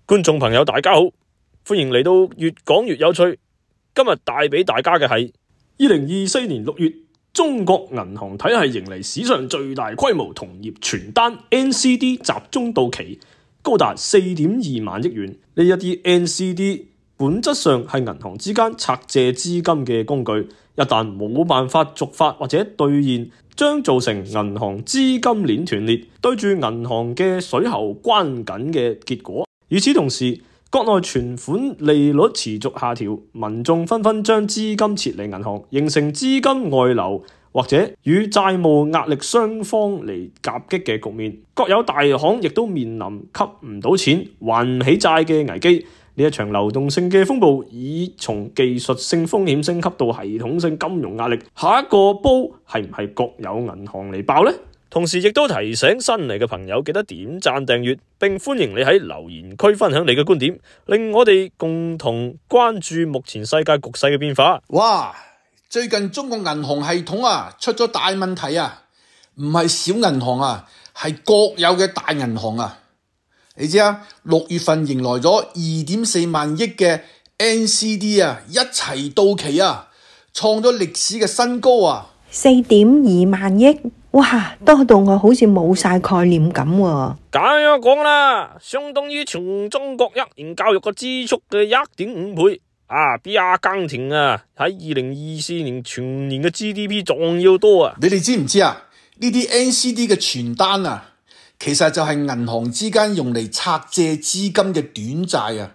觀眾朋友大家好，歡迎嚟到越講越有趣。今日帶俾大家嘅係2024年6月，中國銀行體系迎嚟史上最大規模同業傳單 NCD 集中到期，高達4.2萬億元。呢一啲 NCD 本質上係銀行之間拆借資金嘅工具，一旦冇辦法續發或者兌現，將造成銀行資金鏈斷裂，對住銀行嘅水喉關緊嘅結果。與此同時，國內存款利率持續下調，民眾紛紛將資金撤離銀行，形成資金外流或者與債務壓力雙方嚟夾擊嘅局面。國有大行亦都面臨吸唔到錢、還唔起債嘅危機。呢一場流動性嘅風暴已從技術性風險升級到系統性金融壓力，下一個煲係唔係國有銀行嚟爆呢？同時亦都提醒新嚟嘅朋友記得點讚訂閱，並歡迎你喺留言區分享你嘅觀點，令我哋共同關注目前世界局勢嘅變化。哇！最近中國銀行系統出咗大問題啊，唔係小銀行啊，係國有嘅大銀行啊。你知啊，6月份迎來咗2.4萬億嘅 NCD 一齊到期啊，創咗歷史嘅新高啊！4.2萬億，哇，多到我好似冇晒概念咁喎。咁樣講啦，相當於全中國一年教育嘅支出嘅1.5倍啊！比阿根廷喺2024年全年嘅 GDP 仲要多啊！你哋知唔知啊？呢啲 NCD 嘅傳單其實就係銀行之間用嚟拆借資金嘅短債啊，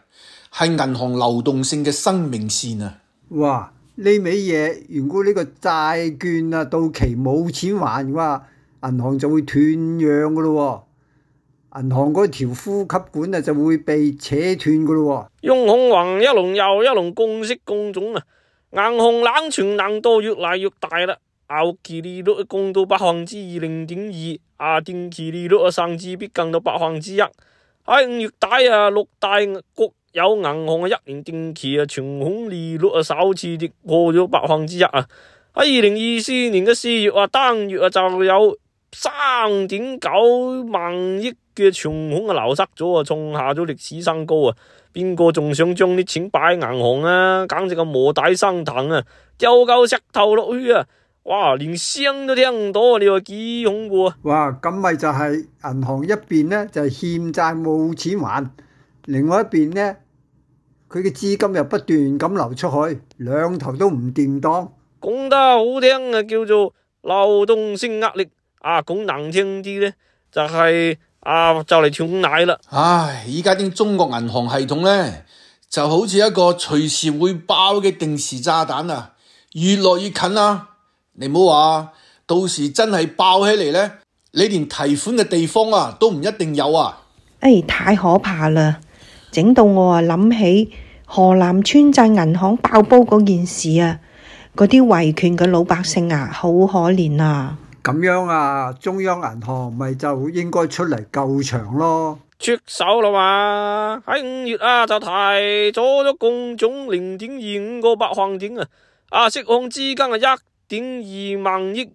係銀行流動性嘅生命線啊！哇！呢味嘢，如果呢個債券到期冇錢還嘅話，銀行就會斷讓噶咯，銀行嗰條呼吸管就會被扯斷噶咯。用恐慌一輪又一輪供息供種啊，銀行冷存難度越嚟越大啦。後期利率降到0.2%，定期利率甚至逼近到1%。喺5月底六大國有銀行嘅1年定期存款利率首次跌破咗1%啊！喺2024年嘅4月單月就有3.9萬億嘅存款流失咗，創下咗歷史新高啊！邊個仲想將啲錢擺喺銀行啊？簡直係磨底生藤啊！丟嚿石頭落去啊！哇，連聲都聽唔到，你話幾恐怖啊！哇，咁咪就係銀行一邊呢，就係欠債冇錢還，另外一邊呢，佢嘅資金又不斷咁流出去，兩頭都唔掂當。講得好聽叫做流動性壓力，講難聽啲呢，就係就嚟斷奶啦。唉，依家啲中國銀行系統呢，就好似一個隨時會爆嘅定時炸彈啊，越來越近啊！你唔好話，到時真係爆起嚟呢，你連提款嘅地方都唔一定有啊！太可怕啦！整到我諗起河南村鎮銀行爆煲嗰件事啊，嗰啲維權嘅老百姓好可憐啊！咁樣中央銀行咪就應該出嚟救場咯，出手啦嘛！喺5月就提咗共總0.25個百分點釋放資金1.2萬億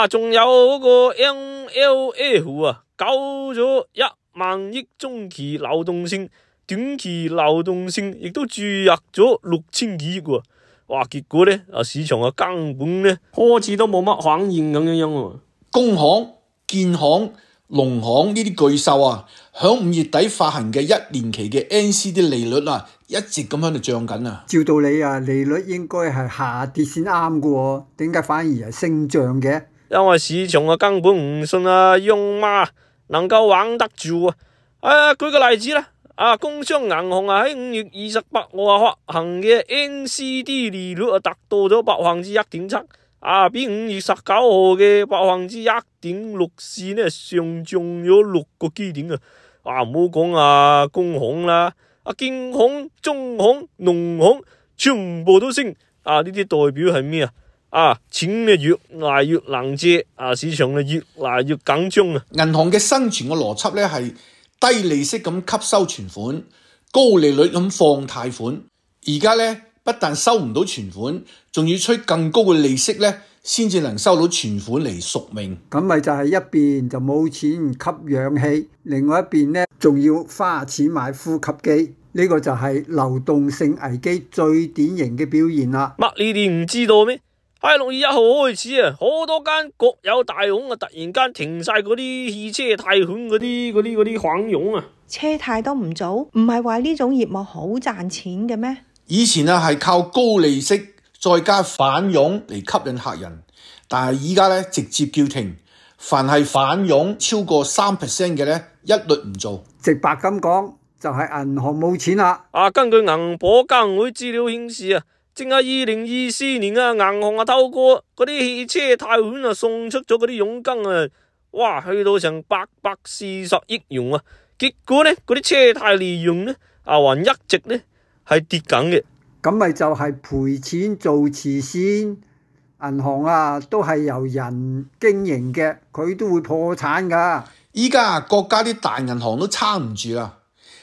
仲有嗰個 MLF 救咗1萬億中期流動性，短期流動性亦都注入咗6000幾億喎。哇！結果呢市場根本呢開始都冇乜反應咁樣喎。工行、建行、農行呢啲巨獸響5月底發行嘅1年期嘅 NCD 利率一直咁喺度漲緊啊！照道理利率應該係下跌先啱嘅喎，點解反而係升漲嘅？因為市場根本唔信央媽能夠玩得住舉個例子啦，工商銀行喺5月28號發行嘅 NCD 利率達到咗1.7%，比5月19號嘅1.64%呢上漲咗6個基點啊！唔好講工行啦，建行、中行、農行全部都升，呢啲代表係咩錢呢越嚟越難借，市場呢越嚟越緊張啊！銀行嘅生存嘅邏輯呢係低利息咁吸收存款，高利率咁放貸款。而家呢不但收唔到存款，仲要吹更高嘅利息呢，先至能收到存款嚟贖命。咁咪就係一邊就冇錢吸氧氣，另外一邊呢仲要花錢買呼吸機，呢個就係流動性危機最典型嘅表現啦。乜你哋唔知道咩？喺6月1號開始啊，好多間國有大行啊，突然間停晒嗰啲汽車貸款嗰啲款用啊。車貸都唔做，唔係話呢種業務好賺錢嘅咩？以前啊係靠高利息再加返佣嚟吸引客人，但係依家咧直接叫停，凡係返佣超過3% 嘅咧，一律唔做。直白咁講，就係銀行冇錢啦。根據銀保監會資料顯示啊，淨係2024年啊，銀行啊透過嗰啲汽車貸款啊送出咗嗰啲佣金啊，哇，去到成840億元啊！結果呢，嗰啲車貸利用呢，還一直呢係跌緊嘅。咁咪就係賠錢做慈善，銀行啊都係由人經營嘅，佢都會破產噶。依家國家啲大銀行都撐唔住啦，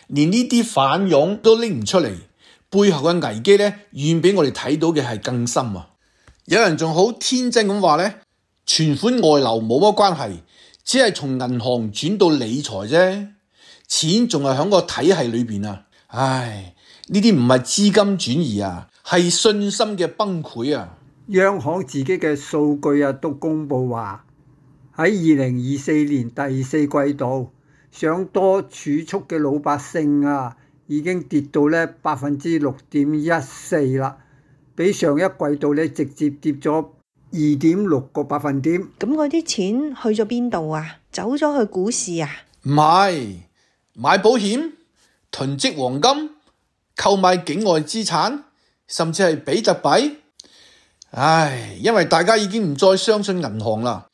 連呢啲返佣都拎唔出嚟，背後嘅危機咧，遠比我哋睇到嘅係更深啊！有人仲好天真咁話咧，存款外流冇乜關係，只係從銀行轉到理財啫，錢仲係喺個體系裏邊啊！唉，呢啲唔係資金轉移啊，係信心嘅崩潰啊！央行自己嘅數據啊都公布話，喺2024年第4季度，想多儲蓄嘅老百姓啊，已經跌到咧6.14%啦，比上一季度咧直接跌咗2.6個百分點。咁嗰啲錢去咗邊度啊？走咗去股市啊？唔係，買保險、囤積黃金、購買境外資產，甚至係比特幣。唉，因為大家已經唔再相信銀行啦。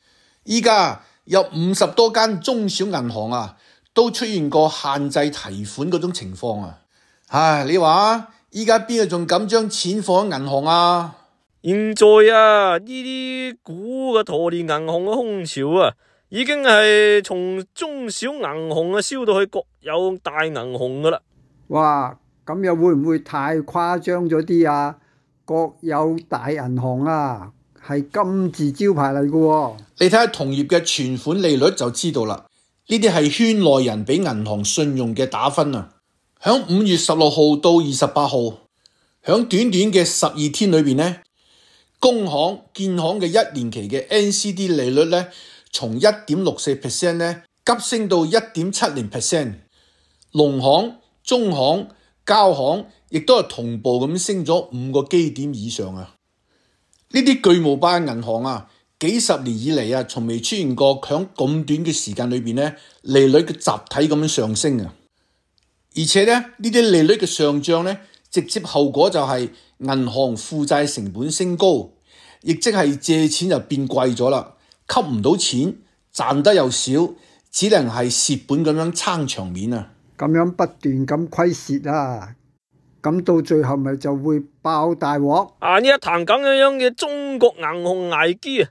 依家有50多間中小銀行啊，都出現過限制提款嗰種情況啊。唉，你話依家邊個仲敢將錢放喺銀行啊？現在啊，呢啲股嘅拖連銀行嘅空潮啊，已經係從中小銀行啊燒到去國有大銀行噶啦。哇，咁又會唔會太誇張咗啲啊？國有大銀行啊，係金字招牌嚟嘅喎。你睇下同業嘅存款利率就知道啦。呢啲係圈內人俾銀行信用嘅打分啊。響5月16號到28號，響短短嘅12天裏邊呢，工行、建行嘅1年期嘅 NCD 利率呢，從 1.64% 呢急升到 1.70%。農行、中行、交行亦都係同步咁升咗5個基點以上啊！呢啲巨無霸銀行啊，幾十年以嚟啊，從未出現過響咁短嘅時間裏邊呢，利率嘅集體咁樣上升啊！而且呢，呢啲利率嘅上漲呢，直接後果就係銀行負債成本升高，亦即係借錢就變貴咗啦，吸唔到錢，賺得又少，只能係蝕本咁樣撐場面啊！咁樣不斷咁虧蝕啊！咁到最後咪就會爆大鑊呢一壇咁樣嘅中國銀行危機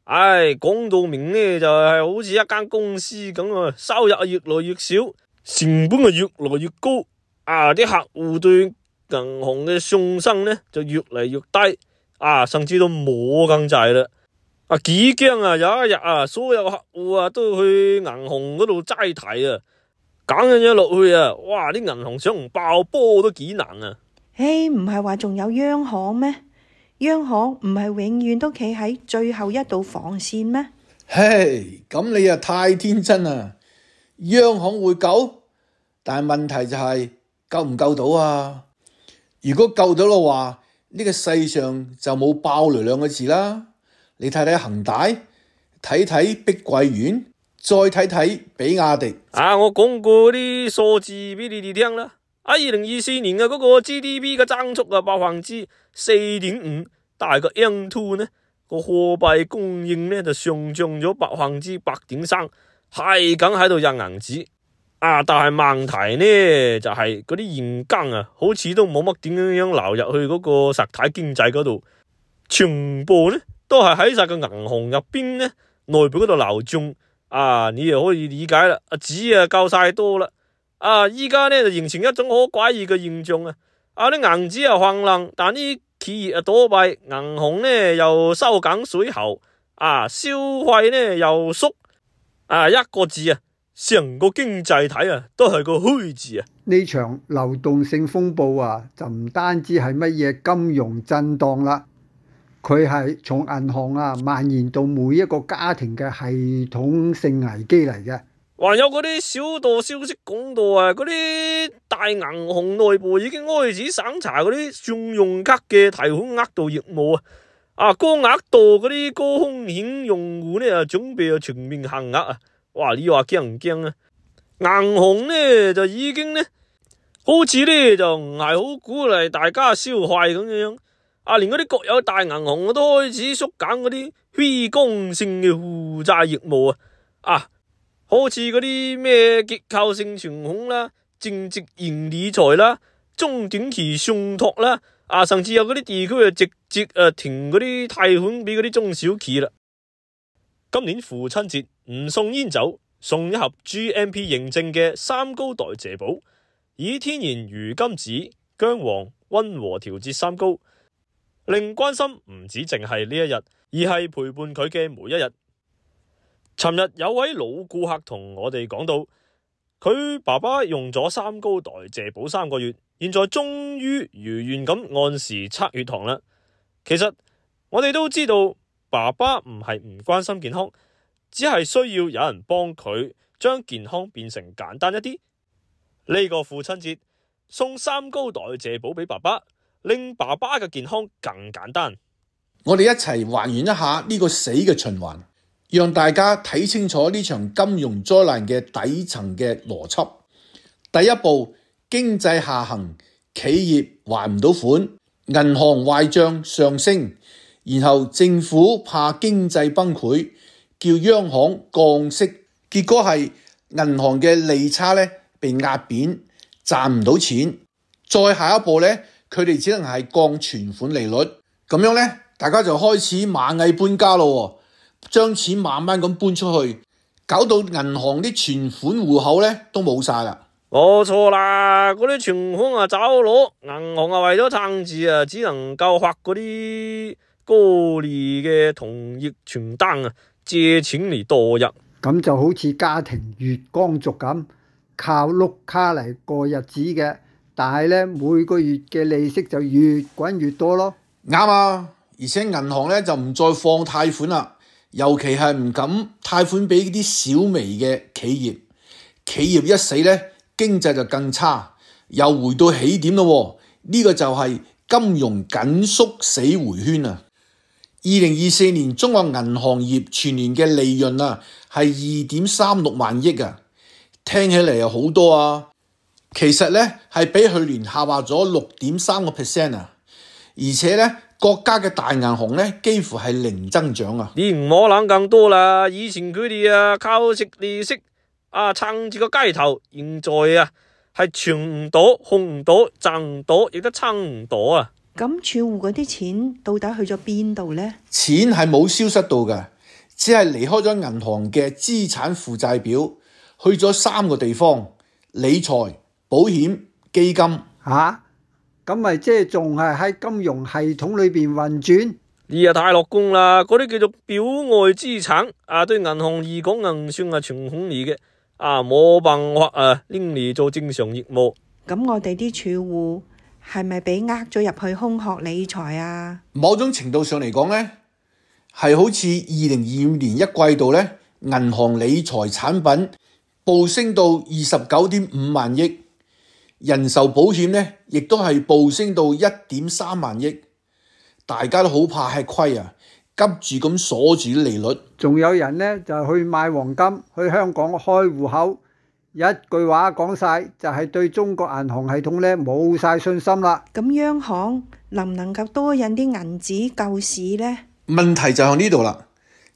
啊！講到明呢，就係好似一間公司咁啊，收入越來越少，成本越來越高，啲客戶對銀行嘅信心呢就越嚟越低，甚至都冇咁滯啦。幾驚啊！有一日所有客戶都去銀行嗰度齋提啊！揀咗落去啊！哇！啲銀行想唔爆波都幾難啊！唔係話仲有央行咩？央行唔係永遠都企喺最後一道防線咩？咁你太天真啦！央行會救，但係問題就係救唔救到啊？如果救到嘅話，呢個世上就冇爆雷兩個字啦。你睇睇恒大，睇睇碧桂園。再睇睇比亞迪我講過啲數字俾你哋聽啦。2024年嘅嗰個 GDP 嘅增速4.5%，但係個 M2 呢個貨幣供應呢就上漲咗8.3%，係咁喺度印銀紙但係問題呢就係嗰啲現金好似都冇乜點樣流入去嗰個實體經濟嗰度，全部呢都係喺晒個銀行入邊呢內部嗰度流轉。你又可以理解啦，紙夠晒多啦，依家呢就形成一種好詭異嘅現象啲銀紙橫爛，但啲企業倒閉，銀行呢又收緊水喉，消費呢又縮，一個字啊，成個經濟體啊都係個虛字啊！呢場流動性風暴啊，就唔單止係乜嘢金融震盪啦，佢係從銀行蔓延到每一個家庭嘅系統性危機嚟嘅。還有嗰啲小道消息講到嗰啲大銀行內部已經開始審查嗰啲信用卡嘅提款額度業務高額度嗰啲高風險用戶呢準備全面限額啊！哇，你話驚唔驚啊？銀行呢就已經呢，好似呢就唔係好鼓勵大家消費咁樣，連嗰啲國有大銀行都開始縮減嗰啲非剛性嘅負債業務好似嗰啲咩結構性存款啦、淨值型理財啦、中短期信託啦，甚至有嗰啲地區直接停嗰啲貸款俾嗰啲中小企啦。今年父親節唔送煙酒，送一盒 GMP 認證嘅三高代謝寶，以天然魚甘子、薑黃溫和調節三高，令關心唔止淨係呢一日，而係陪伴佢嘅每一日。尋日有位老顧客同我哋講到，佢爸爸用咗三高代謝寶3個月，現在終於如願咁按時測血糖啦。其實我哋都知道，爸爸唔係唔關心健康，只係需要有人幫佢將健康變成簡單一啲。呢個父親節送三高代謝寶俾爸爸，令爸爸嘅健康更簡單。我哋一齊還原一下呢個死嘅循環，讓大家睇清楚呢場金融災難嘅底層嘅邏輯。第一步，經濟下行，企業還唔到款，銀行壞賬上升，然後政府怕經濟崩潰，叫央行降息，結果係銀行嘅利差呢被壓扁，賺唔到錢。再下一步呢，佢哋只能係降存款利率，咁樣呢，大家就開始螞蟻搬家咯，將錢慢慢咁搬出去，搞到銀行啲存款戶口呢都冇晒啦。冇錯啦，嗰啲存款走佬，銀行為咗撐住只能夠發嗰啲高利嘅同業傳單借錢嚟度日。咁就好似家庭月光族咁，靠碌卡嚟過日子嘅，但係呢，每個月嘅利息就越滾越多咯。啱啊，而且銀行呢就唔再放貸款啦，尤其係唔敢貸款俾啲小微嘅企業。企業一死呢，經濟就更差，又回到起點咯。呢個就係金融緊縮死回圈啊！2024年中國銀行業全年嘅利潤係2.36萬億啊，聽起嚟又好多啊。其實呢係比去年下滑咗6.3% 啊，而且呢國家嘅大銀行呢幾乎係零增長啊。你唔好諗更多啦，以前佢哋靠食利息撐住個雞頭，現在係存唔到、控唔到、賺唔到，亦都撐唔到啊！咁儲戶嗰啲錢到底去咗邊度呢？錢係冇消失到嘅，只係離開咗銀行嘅資產負債表，去咗3個地方：理財、保險、基金。咁咪即係仲係喺金融系統裏邊運轉？你太樂觀啦！嗰啲叫做表外資產對銀行嚟講硬算係存款嚟嘅，冇辦法拎嚟做正常業務。咁我哋啲儲戶係咪俾呃咗入去空殼理財啊？某種程度上嚟講呢，係好似2025年一季度呢，銀行理財產品暴升到29.5萬億，人壽保險呢亦都係暴升到1.3萬億，大家都好怕吃虧啊，急住咁鎖住利率。仲有人呢就去買黃金，去香港開戶口。一句話講晒，就係對中國銀行系統呢冇晒信心啦。咁央行能唔能夠多印啲銀紙救市呢？問題就喺呢度啦。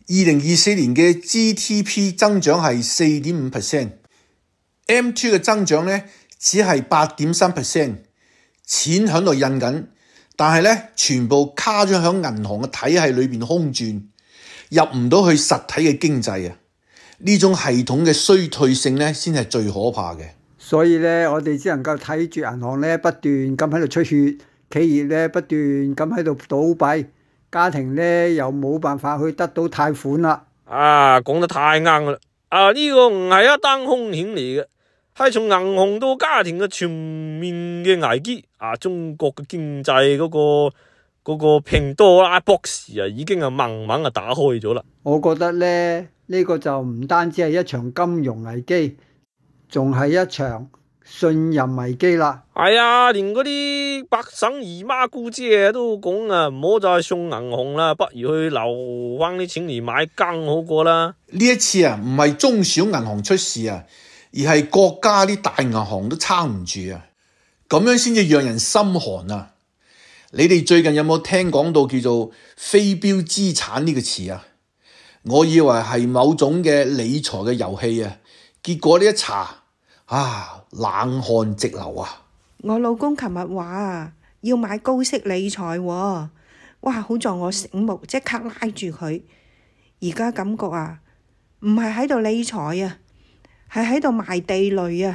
2024年嘅 GDP 增長係 4.5%，M2 嘅增長呢只係 8.3%， 錢喺度印緊，但係呢全部卡咗喺銀行嘅體系裏邊空轉，入唔到去實體嘅經濟啊！呢種系統嘅衰退性呢，先係最可怕嘅。所以呢，我哋只能夠睇住銀行呢不斷咁喺度出血，企業咧不斷咁喺度倒閉，家庭咧又冇辦法去得到貸款啦。講得太啱啦！呢個唔係一單風險嚟嘅，係從銀行到家庭嘅全面嘅危機。中國嘅經濟嗰個潘多拉博士已經慢慢打開咗啦。我覺得咧呢個就唔單止係一場金融危機，仲係一場信任危機啦。係啊，連嗰啲百省姨媽姑姐都講唔好再送銀行啦，不如去留翻啲錢嚟買更好過啦。呢一次唔係中小銀行出事而係國家啲大銀行都撐唔住咁樣先至讓人心寒你哋最近有冇聽講到叫做非標資產呢個詞我以為係某種嘅理財嘅遊戲結果呢一查冷汗直流我老公琴日話要買高息理財喎，哇！好在我醒目，即刻拉住佢。而家感覺唔係喺度理財係喺度賣地雷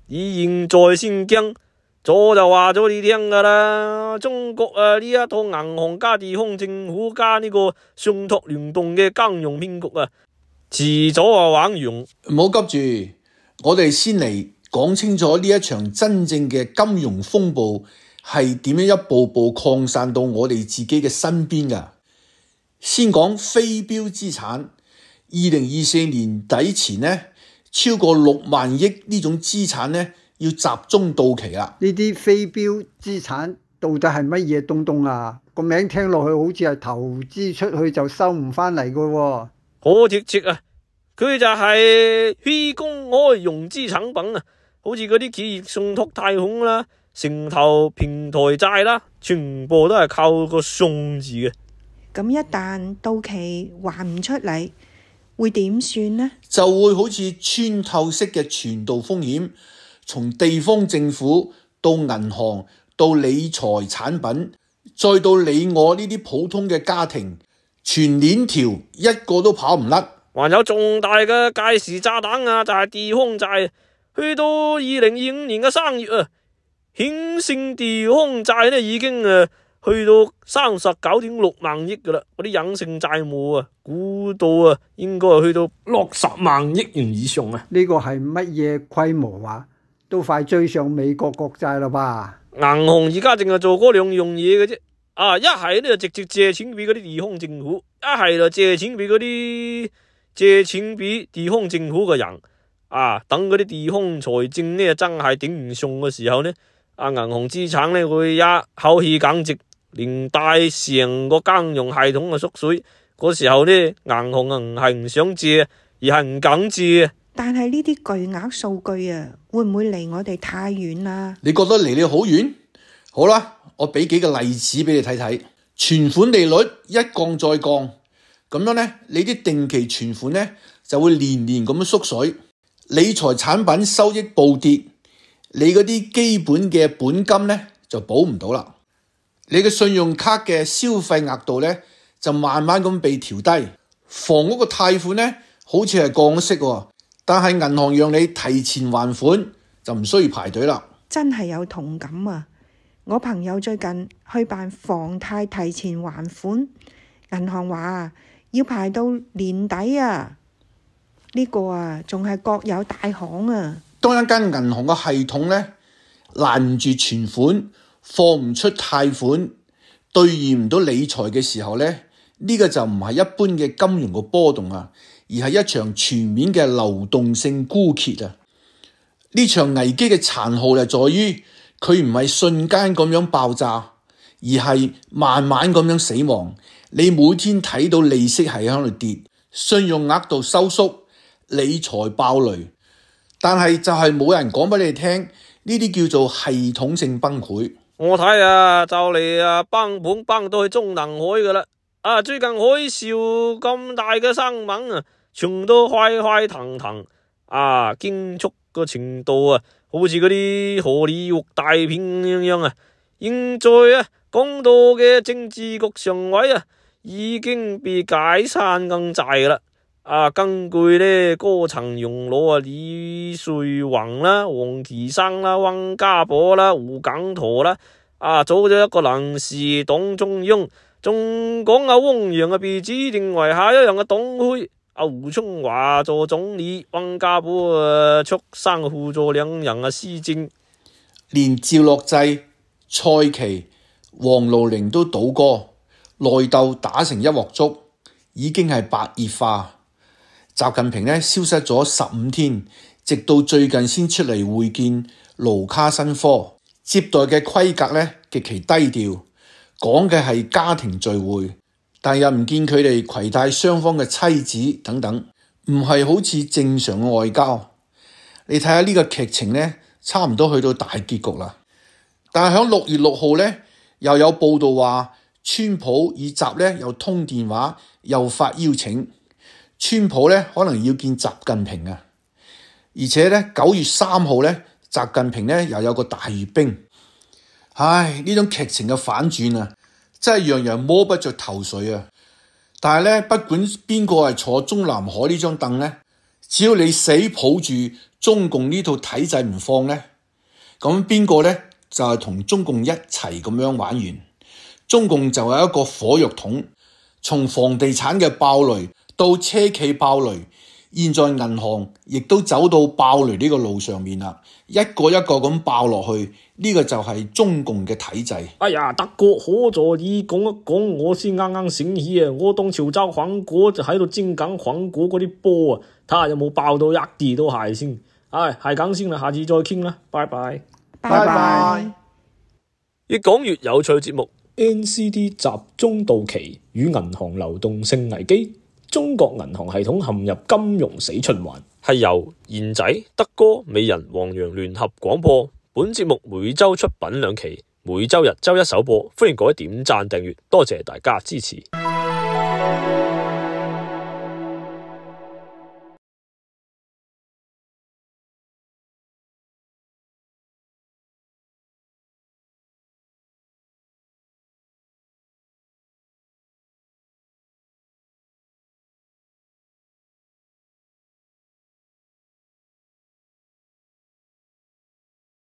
以現在先驚，早就話咗你聽噶啦。中國呢一套銀行加地方政府加呢個信託聯動嘅金融騙局遲早玩完。唔好急住，我哋先嚟講清楚呢一場真正嘅金融風暴係點樣一步步擴散到我哋自己嘅身邊噶。先講非標資產，2024年底前呢，超過6萬億呢種資產呢要集中到期啦。呢啲非標資產到底係乜嘢東東個名聽落去好似係投資出去就收唔返嚟噶喎。好貼切佢就係非公開融資產品好似嗰啲企業信託貸款啦、城投平台債啦，全部都係靠個送字嘅。咁一旦到期還唔出嚟，會點算呢？就會好似穿透式嘅傳導風險，從地方政府到銀行到理財產品，再到你我呢啲普通嘅家庭，全鏈條一個都跑唔甩。還有重大嘅計時炸彈就係地方債。去到2025年嘅3月顯性地方債呢已經去到39.6萬億噶啦，嗰啲隱性債務估到應該係去到60萬億元以上呢個係乜嘢規模都快追上美國國債啦吧？銀行而家淨係做嗰2樣嘢嘅啫，一係呢就直接借錢俾嗰啲地方政府，一係就借錢俾地方政府嘅人。等嗰啲地方財政呢真係頂唔順嘅時候呢，銀行資產呢會一口氣減值，連帶成個金融系統縮水。嗰時候呢，銀行唔係唔想借，而係唔敢借。但係呢啲巨額數據會唔會離我哋太遠啦？你覺得離你好遠？好啦，我俾幾個例子俾你睇睇。存款利率一降再降，咁樣呢，你啲定期存款呢就會年年咁樣縮水。理財產品收益暴跌，你嗰啲基本嘅本金呢就保唔到啦。你嘅信用卡嘅消費額度呢就慢慢咁被調低。房屋嘅貸款呢好似係降息但係銀行讓你提前還款就唔需要排隊啦。真係有同感我朋友最近去辦房貸提前還款，銀行話要排到年底呢個仲係國有大行當一間銀行嘅系統呢攔唔住存款，放唔出貸款，兌現唔到理財嘅時候呢，呢個就唔係一般嘅金融嘅波動而係一場全面嘅流動性枯竭呢場危機嘅殘酷就在於佢唔係瞬間咁樣爆炸，而係慢慢咁樣死亡。你每天睇到利息係喺度跌，信用額度收縮，理財爆雷，但係就係冇人講俾你聽，呢啲叫做系統性崩潰。我睇就嚟崩盤崩到去中南海噶啦。最近海嘯咁大嘅新聞全都開騰騰驚悚個程度好似嗰啲荷里活大片咁樣現在講到嘅政治局常委已經被解散咁滯啦。根據呢高層用佬李瑞宏啦、王岐山啦、溫家寶啦、胡錦濤啦，組咗一個臨時黨中央，仲講汪洋被指定為下一任嘅黨魁，胡春華做總理，溫家寶出山輔助兩人施政，連趙樂際、蔡奇、王廬寧都倒戈，內鬥打成一鑊粥，已經係白熱化。習近平呢消失咗15天，直到最近先出嚟會見盧卡申科，接待嘅規格呢極其低調，講嘅係家庭聚會，但又唔見佢哋攜帶雙方嘅妻子等等，唔係好似正常嘅外交。你睇下呢個劇情呢，差唔多去到大結局啦。但係喺6月6號呢，又有報道話，川普與習呢又通電話，又發邀請。川普呢可能要見習近平啊，而且呢9月3號呢，習近平呢又有個大閱兵。唉，呢種劇情嘅反轉啊，真係讓人摸不着頭緒啊！但係呢，不管邊個係坐中南海呢張凳呢，只要你死抱住中共呢套體制唔放呢，咁邊個呢就係同中共一齊咁樣玩完。中共就係一個火藥桶，從房地產嘅爆雷到車企爆雷，現在銀行亦都走到爆雷呢個路上面啦，一個一個咁爆落去，呢個就係中共嘅體制。哎呀，德哥可助你講一講，我先啱啱醒起啊！我當潮州黃果就喺度蒸緊黃果嗰啲波啊，睇下有冇爆到一啲都係先。唉，係咁先啦，下次再傾啦，拜拜。拜拜。越講越有趣節目 NCT 集中到期與銀行流動性危機，中國銀行系統陷入金融死循環，係由賢仔、德哥、美人、黃洋聯合廣播。本節目每周出品2期，每周日周一首播，歡迎各位點讚訂閱，多謝大家支持。